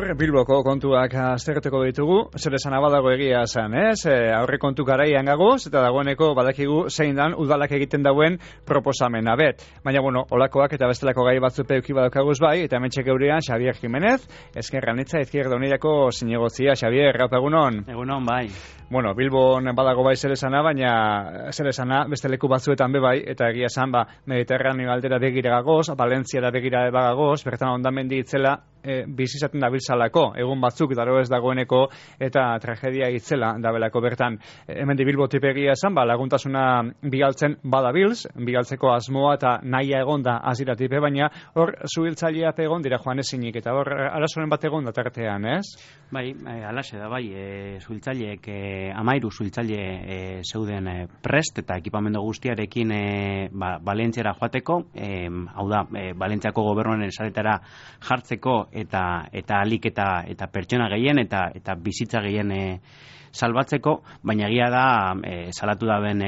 Gaur Bilboko kontuak aztertuko ditugu, zer esan abadago egia esan, ez? Aurre kontu garaian gagoz, eta dagoeneko badakigu zein dan udalak egiten dauen proposamena bet. Baina, olakoak eta bestelako gai batzu peuki badakaguz bai, eta hemen txekeurean Xavier Jimenez, Ezkerra Anitza, Izquierda Unidako zinegotzia. Xavier, rapa egunon? Egunon, bai. Bilbon badago bai zer esana, baina zer esana beste leku batzuetan be bai, eta egia esan, Mediterraneo aldera begira gagoz, Valentziara begira bagagoz, bertan ondamendi itzela, bizizaten dabiltzalako, egun batzuk daro ez dagoeneko, eta tragedia itzela dabelako bertan. Hemen di Bilbo tipegia esan, laguntasuna bigaltzen badabilz, bigaltzeko asmoa eta nahia egon da azira tipe, baina hor zuhiltzailea egon dira joan ezinik, eta hor arazoren bat egon da tartean, ez? Bai, alaxe da, bai, zuhiltzaileek, 13 zuhiltzaile zeuden prest, eta ekipamendu guztiarekin Valentziara joateko, hau da, Valentziako gobernuaren esaretara jartzeko, eta alik eta pertsona gehien eta bizitza gehien salbatzeko, baina egia da salatu da ben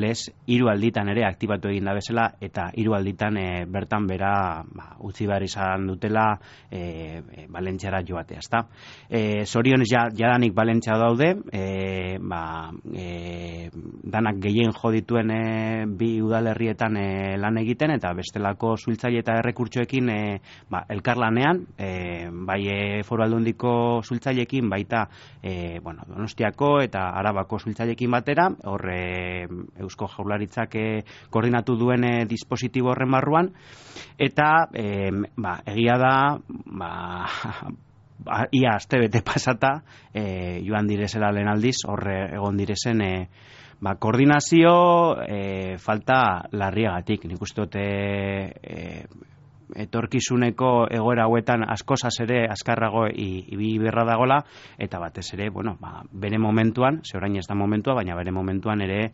lez 3 alditan ere aktibatu egin da bezala, eta 3 alditan bertan bera utzi behar izan dutela Valentziara joatea, ezta? Zorionez jadanik Valentzia daude, danak gehien jo dituen bi udalerrietan lan egiten, eta bestelako zuhiltzaile eta errekurtsoekin elkarlanean, bai Foru Aldundiko zuhiltzaileekin, baita Donostiako eta Arabako zuhiltzaileekin batera, hor Eusko Jaurlaritzak koordinatu duen dispositibo horren barruan, eta egia da ia astebete pasata joan direzela lehen aldiz, hor egon direzen koordinazio falta larriagatik. Nik uste dut etorkizuneko egoera hauetan askozaz ere azkarrago ibili beharra dagola, eta batez ere, bere momentuan, ze orain ez da momentua, baina bere momentuan ere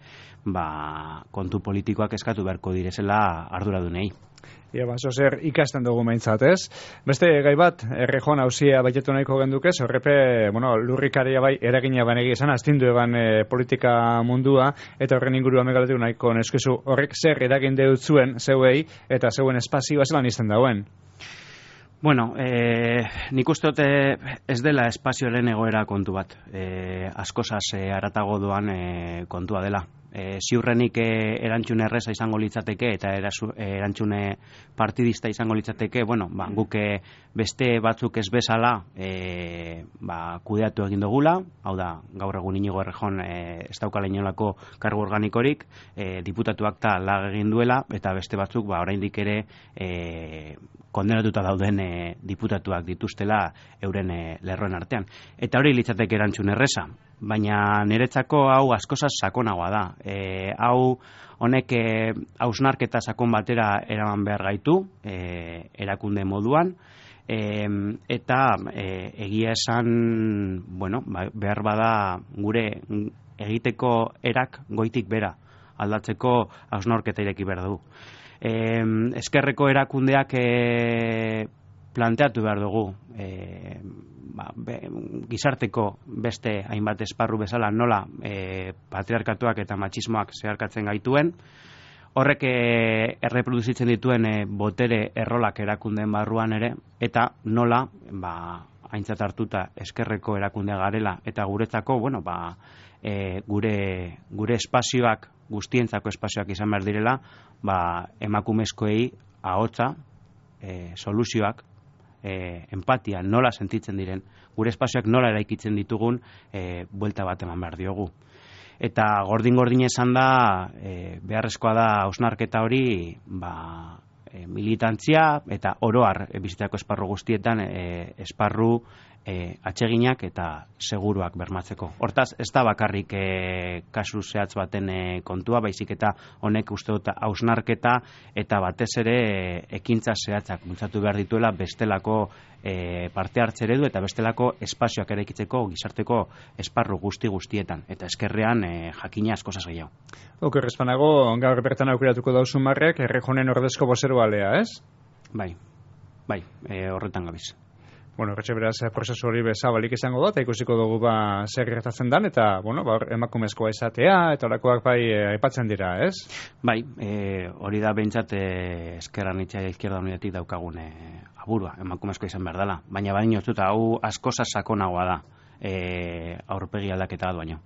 kontu politikoak eskatu beharko direzela arduradunei. Ia, zer ikasten dugu meintzat, ez? Beste gai bat, Errejon hauzia baitetu nahiko gendukez, horrepe, lurrikaria bai eragina banegi esan, astindu eban politika mundua, eta horren inguruan megaletu nahiko neskezu, horrek zer eragin deut zuen, zeuei, eta zeuen espazioa zelan izten dauen? Nik uste dut ez dela espazioaren egoera kontu bat, askozaz haratago doan kontua dela. Ziurrenik erantzun erreza izango litzateke eta erantzune partidista izango litzateke, guk beste batzuk ez bezala kudeatu egin dugula, hau da, gaur egun Inigo Errejon ez daukala inolako kargu organikorik, diputatuak ta lag egin duela, eta beste batzuk oraindik ere kondenatuta dauden diputatuak dituztela euren lerroen artean. Eta hori litzateke erantzun erreza, baina niretzako hau askozaz sakonagoa da. Hau honek hausnarketa sakon batera eraman behar gaitu, erakunde moduan, eta egia esan, behar bada gure egiteko erak goitik bera aldatzeko hausnarketa ireki behar du. Ezkerreko erakundeak planteatu behar dugu gizarteko beste hainbat esparru bezala nola patriarkatuak eta matxismoak zeharkatzen gaituen, horrek erreproduzitzen dituen botere errolak erakundeen barruan ere, eta nola aintzat hartuta ezkerreko erakundea garela, eta guretzako gure espazioak, guztientzako espazioak izan behar direla, emakumezkoei ahotsa, soluzioak, empatia, nola sentitzen diren, gure espazioak nola eraikitzen ditugun, buelta bat eman behar diogu. Eta gordin esan da, beharrezkoa da hausnarketa hori, militantzia eta oroar bizitzako esparru guztietan esparru atseginak eta seguruak bermatzeko. Hortaz, ez da bakarrik kasu zehatz baten kontua, baizik eta honek uste dut hausnarketa eta batez ere ekintza zehatzak bultzatu behar dituela bestelako parte hartze eredu eta bestelako espazioak eraikitzeko gizarteko esparru guztietan. Eta eskerrean jakina askozaz gehiago. Oker espanago, gaur bertan aukeratuko dauzun marrek, Errejonen ordezko bozero alea, ez? Bai, horretan gabiz. Bueno, horretxe beraz, prozesu hori bezabalik izango da, eta ikusiko dugu zer gertatzen dan, eta, bueno, emakumezkoa izatea, eta horakoak aipatzen dira, ez? Bai, hori da behintzat eskerran itxai izquierda unidatik daukagun aburua, emakumezkoa izan behar dela. Baina baino ez dut, hau asko sakonagoa da, aurpegi aldaketa bat baino.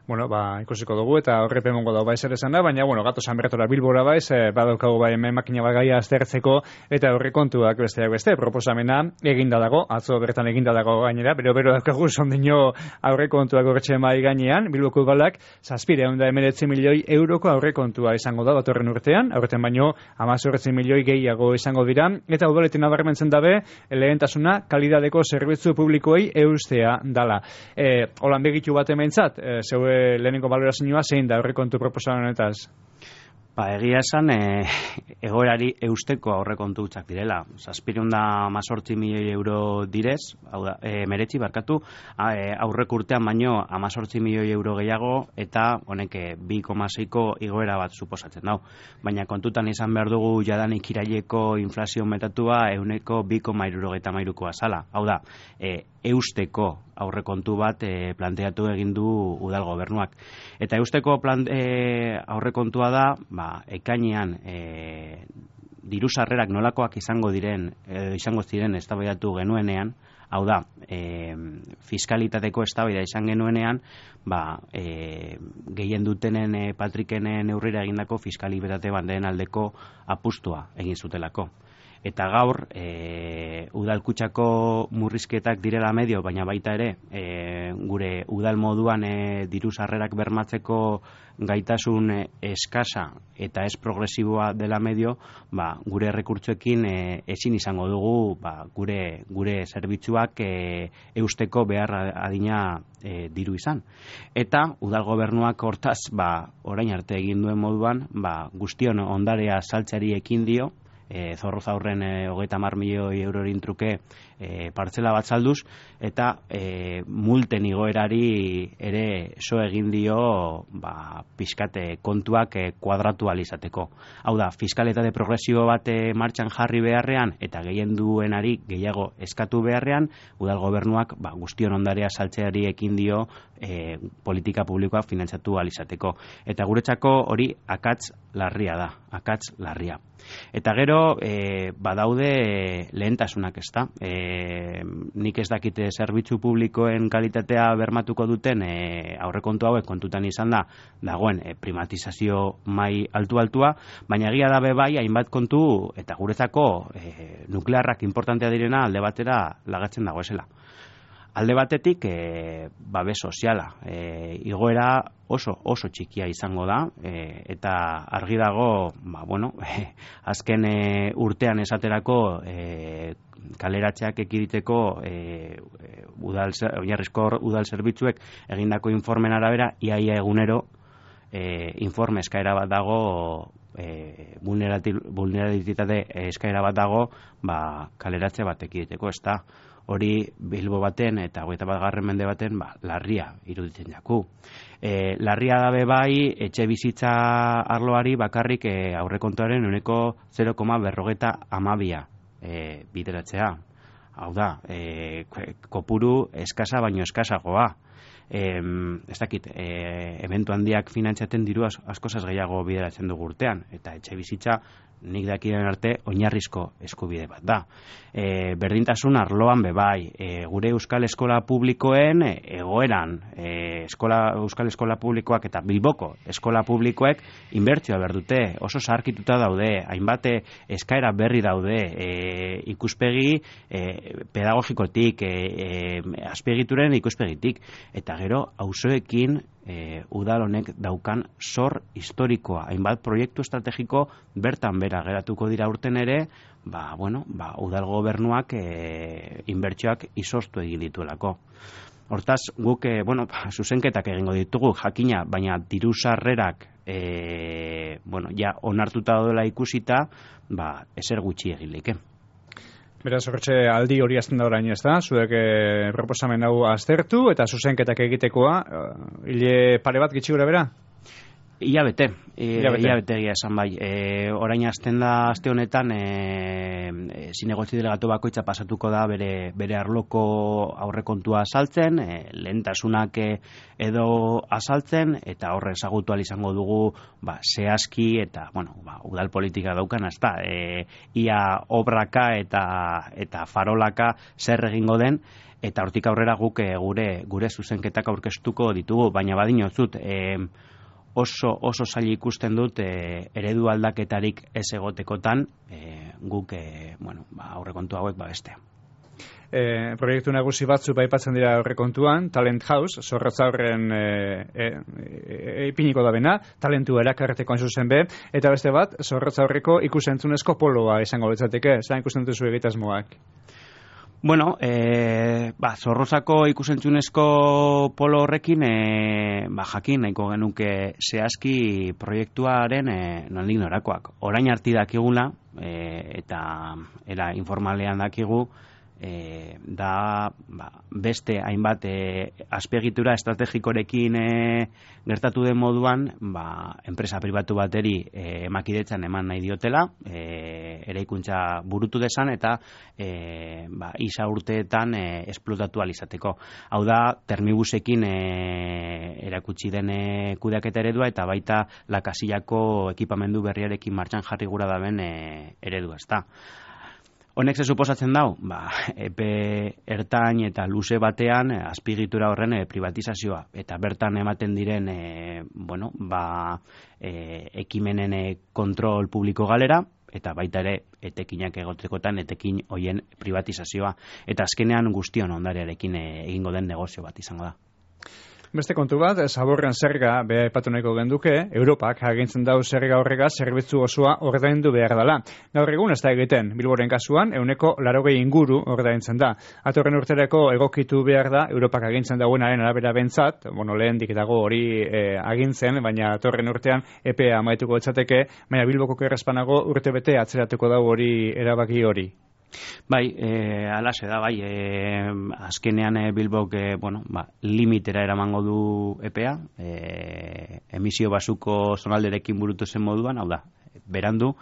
Bueno, ikusiko dugu eta horrepe mongo dago zer esan da, baina, bueno, gato Sanbertora Bilbora badaukagu hemen makina gaia aztertzeko, eta horre kontuak besteak beste, proposamena eginda dago, atzo bertan eginda dago gainera, bero daukagu sondino aurre kontuak horretxe mai gainean, Bilboko Udalak 719 milioi euroko aurre kontua izango da datorren urtean, aurten baino 18 milioi gehiago izango dira, eta udaletin nabarmentzen dabe, lehentasuna kalidadeko zerbitzu publikoei eustea dala. Holan begitu bat hementzat, zeue lehenengo balorazioa zein da aurrekontu proposamen honetaz? Egia esan, egoerari eusteko aurrekontu hutsak direla. 718 milioi euro direz, hau da, meretzi barkatu, aurreko urtean baino 18 milioi euro gehiago, eta honek 2,6ko igoera bat suposatzen dau. Baina kontutan izan behar dugu jadanik iraileko inflazio metatua 2,73koa zala. Hau da, eusteko aurrekontu bat planteatu egin du udal gobernuak. Eta eusteko aurrekontua da, ekainean diru sarrerak nolakoak izango ziren eztabaidatu genuenean, hau da, fiskalitateko eztabaida izan genuenean, gehien dutenen Patrikenen neurrira egindako fiskalitate bandeen aldeko apustua egin zutelako. Eta gaur, udalkutxako murrizketak direla medio, baina baita ere, gure udal moduan diru sarrerak bermatzeko gaitasun eskasa eta ez progresiboa dela medio, gure errekurtsoekin ezin izango dugu gure zerbitzuak eusteko behar adina diru izan. Eta udal gobernuak hortaz, orain arte egin duen moduan, guztion ondarea saltzeari ekin dio, Zorroza aurren 30 milioi eurorin truke partzela bat salduz, eta multen igoerari ere so egin dio pizkate kontuak kuadratu alizateko. Hau da, fiskalitate progresio bat martxan jarri beharrean eta gehien duenari gehiago eskatu beharrean, udal gobernuak guztion ondarea saltzeari ekin dio politika publikoa finantzatu alizateko. Eta guretzako hori akats larria da, akats larria. Eta gero, badaude lehentasunak, ez da. Nik ez dakite zerbitzu publikoen kalitatea bermatuko duten aurrekontu hauek kontutan izan dagoen privatizazio mai altua, baina egia da bai hainbat kontu eta guretzako nuklearrak importantea direna alde batera lagatzen dago esela. Alde batetik, babes soziala. Igoera oso txikia izango da, eta argi dago, azken urtean esaterako kaleratzeak ekiditeko oinarrizko udal zerbitzuek egindako informen arabera, iaia egunero informe eskaera bat dago, vulnerabilitate eskaera bat dago, kaleratze bat ekiditeko, ez da. Hori Bilbo baten eta 21. mende baten larria iruditzen jaku. Larria dabe bai etxe bizitza arloari bakarrik aurrekontuaren 0,52 bideratzea. Hau da, kopuru eskasa baino eskasagoa. Ez dakit, ebentu handiak finantzaten diru askozaz gehiago bideratzen dugu urtean, eta etxe bizitza nik dakien arte oinarrizko eskubide bat da. Berdintasun arloan bebai, gure euskal eskola publikoen egoeran, euskal eskola publikoak eta Bilboko eskola publikoek inbertsioa berdute, oso zaharkituta daude, hainbat eskaera berri daude, ikuspegi pedagogikotik, azpiegituren ikuspegitik, eta gero auzoekin udal honek daukan zor historikoa, hainbat proiektu estrategiko bertan bera geratuko dira urten ere, udal gobernuak inbertsioak izoztu egin dituelako. Hortaz, guk zuzenketak egingo ditugu jakina, baina diru sarrerak onartuta daudela ikusita, ezer gutxi egilik. Beraz, horretxe aldi hori azten da orain, ez da? Zuek proposamen hau aztertu eta zuzenketak egitekoa, hile pare bat gitxi gura bera? Ilabete egia esan bai. Orain hasten da aste honetan zinegotzi delegatu bakoitza pasatuko da bere arloko aurrekontua azaltzen, lehentasunak edo azaltzen, eta horre ezagutu ahal izango dugu zehazki eta udal politika daukan, ezta, ia obraka eta farolaka zer egingo den, eta hortik aurrera guk gure zuzenketak aurkeztuko ditugu, baina badinotzut, oso zaila ikusten dut eredu aldaketarik ez egotekotan guk aurrekontu hauek babestea. Proiektu nagusi batzu aipatzen dira aurrekontuan, Talent House, Zorrotzaurren ipiniko da bena, talentu erakarreteko hain zuzen be, eta beste bat, Zorrotzaurreko ikusentzunezko poloa izango litzateke, zelan ikusten duzu egitasmoak? Bueno, Zorrozako ikusentzunezko polo horrekin jakin nahiko genuke zehazki proiektuaren nondik norakoak. Orain arti dakigula, eta era informalean dakigu, da beste hainbat azpiegitura estrategikorekin gertatu den moduan enpresa pribatu bateri emakidetzan eman nahi diotela, eraikuntza burutu desan eta isa urteetan esplotatu alizateko. Hau da, Termibusekin erakutsi den kudeaketa eredua eta baita Lakasillako ekipamendu berriarekin martxan jarri gura daben eredua, ezta. Honek ze suposatzen dau? Epe ertain eta luze batean azpiegitura horren privatizazioa eta bertan ematen diren ekimenen kontrol publiko galera eta baita ere etekinak egotekotan etekin hoien privatizazioa eta azkenean guztion ondarearekin egingo den negozio bat izango da. Beste kontu bat, zaborren zerga beha epatu nahiko genduke, Europak agintzen dau zerga horrega zerbitzu osoa ordaindu behar dela. Gaur egun ez da egiten, Bilboren kasuan, 180 inguru ordaintzen da. Atorren urtereko egokitu behar da, Europak agintzen dauenaren arabera bentzat, lehendik dago hori agintzen, baina atorren urtean EPEA amaituko etzateke, baina Bilboko errespanago urte bete atzeratuko dau hori erabaki hori. Bai, alaxe da, bai, azkenean Bilbok, limitera eramango du EPEA, emisio basuko zonalderekin burutu zen moduan, hau da, berandu,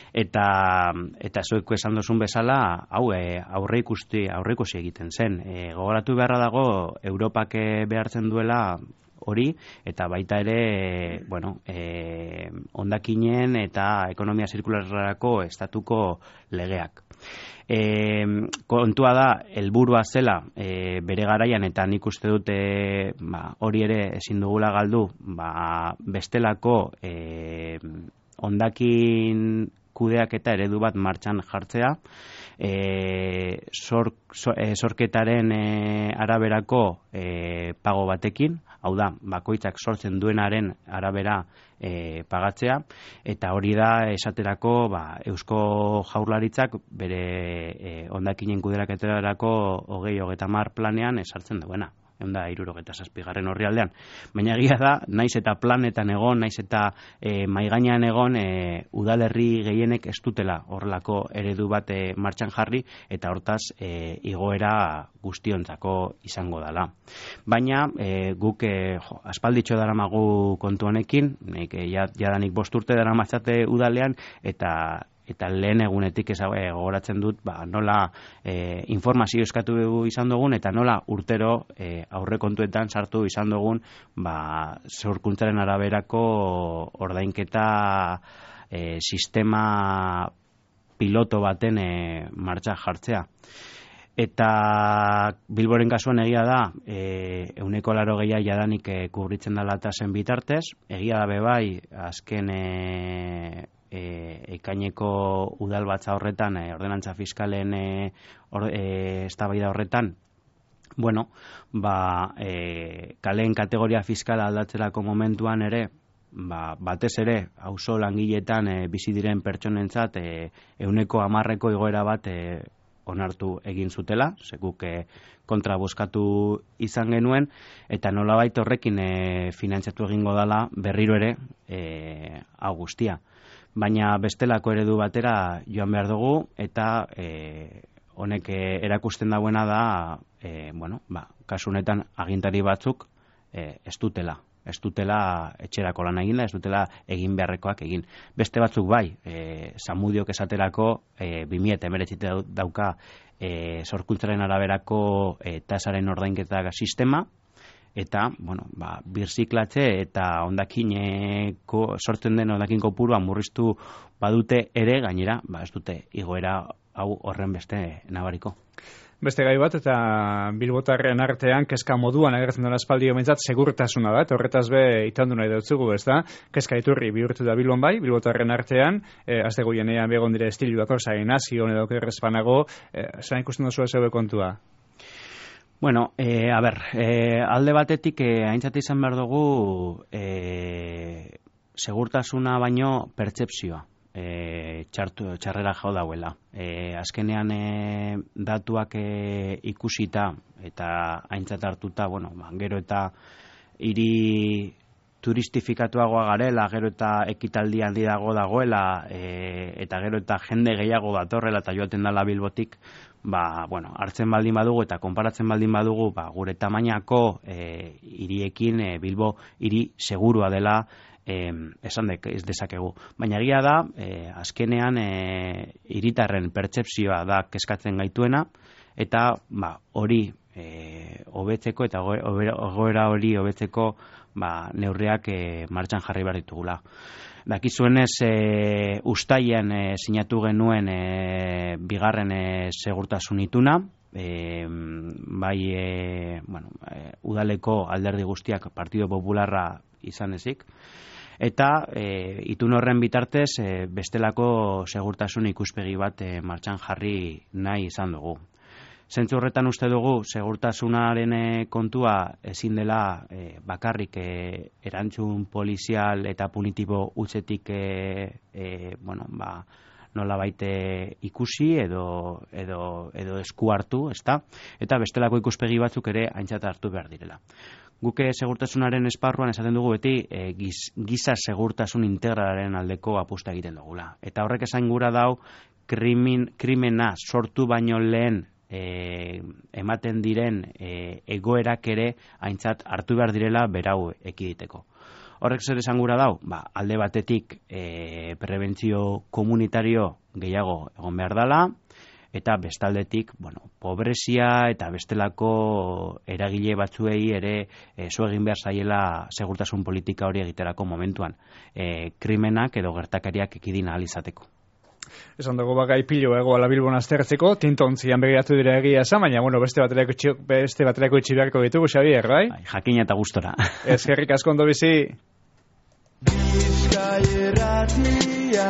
eta zueko esan duzun bezala, hau aurreikusi egiten zen. Gogoratu beharra dago, Europak behartzen duela hori, eta baita ere, hondakinen eta ekonomia zirkularrarako estatuko legeak. Kontua da, helburua zela bere garaian, eta nik uste dute hori ere ezin dugula galdu, bestelako hondakin kudeak eta eredu bat martxan jartzea, sorketaren araberako pago batekin, hau da, bakoitzak sortzen duenaren arabera pagatzea, eta hori da esaterako Eusko Jaurlaritzak bere hondakinen kudeaketarako 2030 planean esartzen duena. 167. Orrialdean. Baina egia da, naiz eta planetan egon, naiz eta maigainean egon, udalerri gehienek ez dutela horrelako eredu bat martxan jarri, eta hortaz igoera guztiontzako izango dela. Baina guk aspalditxo daramagu kontu honekin, jadanik 5 urte daramatzate udalean, eta lehen egunetik gogoratzen dut nola informazio eskatu izan dugun eta nola urtero aurrekontuetan sartu izan dugun zorkuntzaren araberako ordainketa sistema piloto baten martxa jartzea. Eta Bilboren kasuan egia da, 180 jadanik kubritzen dela eta zen bitartez, egia da bebai, azken ekaineko udalbatza horretan, ordenantza fiskalen eztabaida horretan, kaleen kategoria fiskala aldatzerako momentuan ere, batez ere, auzo langiletan bizi diren pertsonentzat 110% igoera bat onartu egin zutela, seguk kontra bozkatu izan genuen, eta nolabait horrekin finantzatu egingo dela berriro ere hau guztia. Baina bestelako eredu batera joan behar dugu, eta honek erakusten dauena da, kasu honetan agintari batzuk ez dutela ez dutela etxerako lan egin da, ez dutela egin beharrekoak egin. Beste batzuk bai, Zamudiok esaterako 2019 dauka sorkuntzaren araberako tasaren ordainketak sistema, eta, birziklatze eta sortzen den hondakin kopurua murriztu badute ere, gainera, ez dute igoera hau horren beste nabariko. Beste gai bat, eta bilbotarren artean, kezka moduan agertzen duen aspaldi omentzat, segurtasuna da, eta horretaz be itandu nahi dutzugu, ez da? Kezka iturri bihurtu da Bilbon bai, bilbotarren artean, azte goienean begon dire estiluako, zain nazion edo kerrezpanago, zain ikusten duzu ez kontua? Bueno, alde batetik aintzat izan behar dugu segurtasuna baino pertsepzioa txarrera jo dauela. Azkenean datuak ikusita eta aintzat hartuta, gero eta hiri turistifikatuagoa garela, gero eta ekitaldi handi dagoela, eta gero eta jende gehiago datorrela eta joaten dela Bilbotik, hartzen baldin badugu eta konparatzen baldin badugu, gure tamainako hiriekin Bilbo hiri segurua dela esan ez dezakegu. Baina egia da, azkenean hiritarren pertsepzioa da kezkatzen gaituena, eta hori hobetzeko eta egoera hori hobetzeko neurriak martxan jarri behar ditugula. Dakizuenez, uztailean sinatu genuen bigarren segurtasun ituna, udaleko alderdi guztiak Partido Popularra izan ezik, eta itun horren bitartez bestelako segurtasun ikuspegi bat martxan jarri nahi izan dugu. Zentzu horretan uste dugu segurtasunaren kontua ezin dela bakarrik erantzun polizial eta punitibo utzetik nolabait ikusi edo esku hartu, ezta? Eta bestelako ikuspegi batzuk ere aintzat hartu behar direla. Guke segurtasunaren esparruan esaten dugu beti giza segurtasun integralaren aldeko apusta egiten dugula. Eta horrek esan gura dau krimena sortu baino lehen ematen diren egoerak ere aintzat hartu behar direla berau ekiditeko. Horrek zer esan gura dau? Alde batetik prebentzio komunitario gehiago egon behar dela, eta bestaldetik, pobrezia eta bestelako eragile batzuei ere zu egin behar zaiela segurtasun politika hori egiterako momentuan. Krimenak edo gertakariak ekidin ahal izateko. Esan dugu gai pilo egoala Bilbon aztertzeko, tintontzian begiratu dira egia esan, baina beste baterako itxi beharko ditugu, Xabier, bai? Jakina eta gustora. Eskerrik asko ondo bizi. Bizkai erratia